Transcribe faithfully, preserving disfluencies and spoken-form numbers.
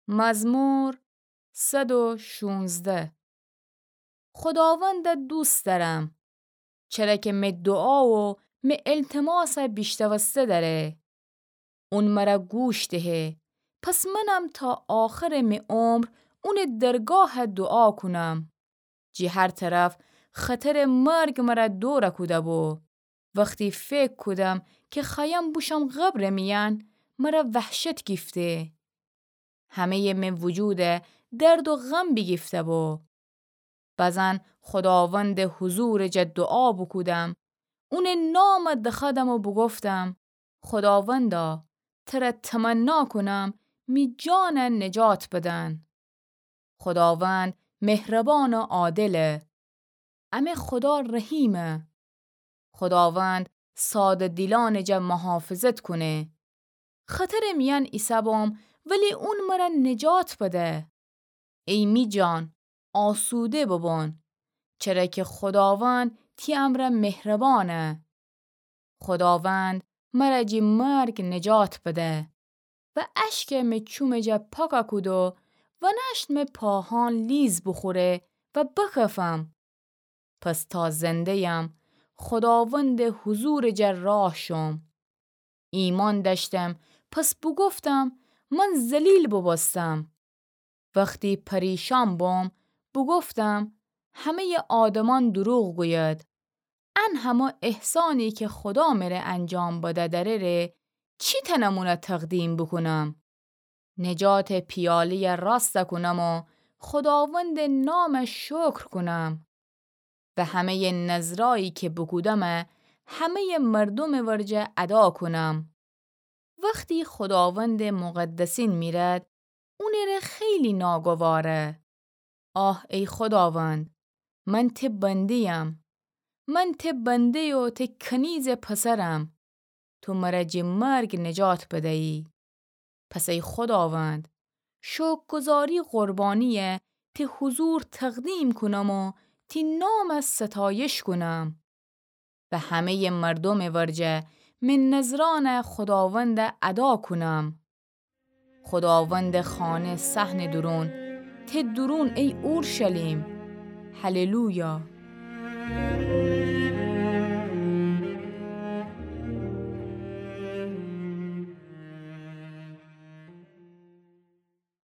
مزمور صد و شونزده. خوداوند دوست دأرم، چره کی می دوعا و می التماس بیشنوسته دأره. اون مر گوش دهه، پس منم تا آخرٚ می عمر اونٚ درگاه دوعا کونم. جی هر طرف خطرٚ مرگ مر دور کوده بو. وختی فکر کودم کی خوأیم بوشم قبرٚ میأن، مر وحشت گیفته. همه‌یٚ می وجود درد و غم بیگیفته بو. بزن خوداوندٚ حضورٚ جا دوعا بوکودم، اونٚ نام دخوأدم و بوگفتم: خوداوندا، تر تمنا کونم، می جان نجات بدن. خوداوند مهربان و عادله، امه خودا رحیمه. خوداوند ساده دیلانٚ جا محافظت کونه. خطرٚ میأن ایسه بوم، ولی اون مر نجات بده. ای می جان، آسوده ببون، چره کی خوداوند تی امر مهربانه. خوداوند مر جی مرگ نجات بده و اشک می چومٚ جا پاک کود و ونأشت می پاهان لیز بوخوره و بکفم. پس تا زنده‌یم، خوداوندٚ حضورٚ جا راه شوم. ایمأن دأشتم، پس بوگفتم: من ذلیل بوبوستم. وختی پریشان بوم، بوگفتم: همه‌یٚ آدمأن دروغ گوید. ان همه احسانی کی خودا مره انجام بده دأره ره، چی تنم اون تقدیم بوکونم؟ نجاتٚ پیاله‌ی راست کونم و خوداوندٚ نام شکر کونم. و همه‌یٚ نذرایی کی بوکودم، همه‌یٚ مردومٚ ورجه ادا کونم. وختی خوداوندٚ مقدسین میرد، اونٚ ره خیلی ناگواره. آه ای خوداوند، من تی بنده‌یم. من تی بنده و تی کنیزٚ پسرم. تو مر جی مرگ نجات بدیی. پس ای خوداوند، شکرگزاری قربانی‌یه تی حضور تقدیم کونم و تی نام ستایش کونم. و همه‌یٚ مردومٚ ورجه می نذرأن خوداوند ادا کونم. خوداوندٚ خانه صحنٚ دورون، تی دورون ای اورشلیم. هللویا.